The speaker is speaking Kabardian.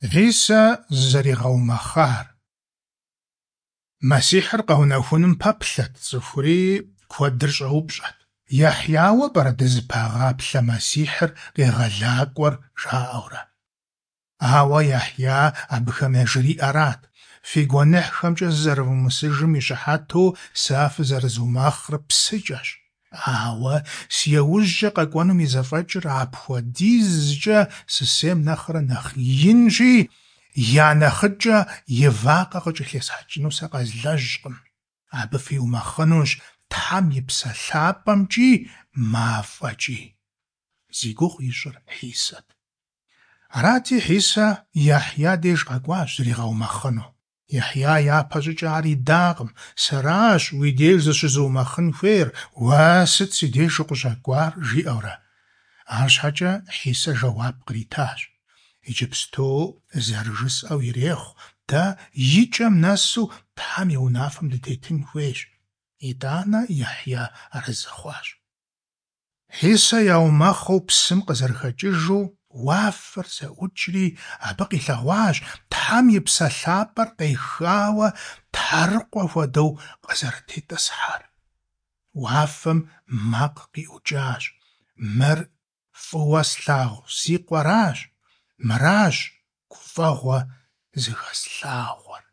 Хьисэ зызэригъэумэхъар. Мэссихьыр къэунэхуным пэплъэт цӏыхури, куэдыр щӏэупщӏэт: Яхьяуэ пӏэрэ дызыпагъаплъэ Мэссихьыр, Къегъэлакӏуэр, жаӏэурэ. Ауэ Яхья абыхэм яжриӏэрат: Фи гуэныхьхэмкӏэ зызэрывумысыжым и щыхьэту сэ фызэрызумэхъыр псыкӏэщ. Ауэ си еужькӏэ къэкӏуэнум и зэфӏэкӏыр апхуэдизкӏэ сысейм нэхърэ нэхъ инщи, я нэхъыкӏэ и вакъэ къыкӏэлъесхьэкӏыну сэ къэзлэжькъым. Абы фиумэхъынущ Тхьэм и Псэ Лъапӏэмкӏи мафӏэкӏи. Зи гугъу ищӏыр Хьисэт. Арати, Хьисэ Яхья деж къэкӏуащ зригъэумэхъыну. Яхья япэщӏыкӏэ ар идакъым: Сэращ уи деж зыщызыумэхъын хуейр, уэ сыт си деж укъыщӏэкӏуар? жиӏэурэ. Арщхьэкӏэ Хьисэ жэуап къритащ: Иджыпсту зэрыжысӏэу ирехъу, дэ и кӏэм нэсу Тхьэм и унафэм дытетын хуейщ. Итӏанэ Яхья арэзы хъуащ. Хьисэ яумэхъыу псым къызэрыхэкӏыжу, уафэр зэӏукӏри, абы къилъэгъуащ Тхьэм и Псэ Лъапӏэр къехауэ тхьэрыкъуэ хуэдэу къызэрытетӏысхьэр. Уафэм макъ къиӏукӏащ: Мыр фӏыуэ слъагъу си Къуэращ, мыращ гуфӏэгъуэ зыхэслъагъуэр.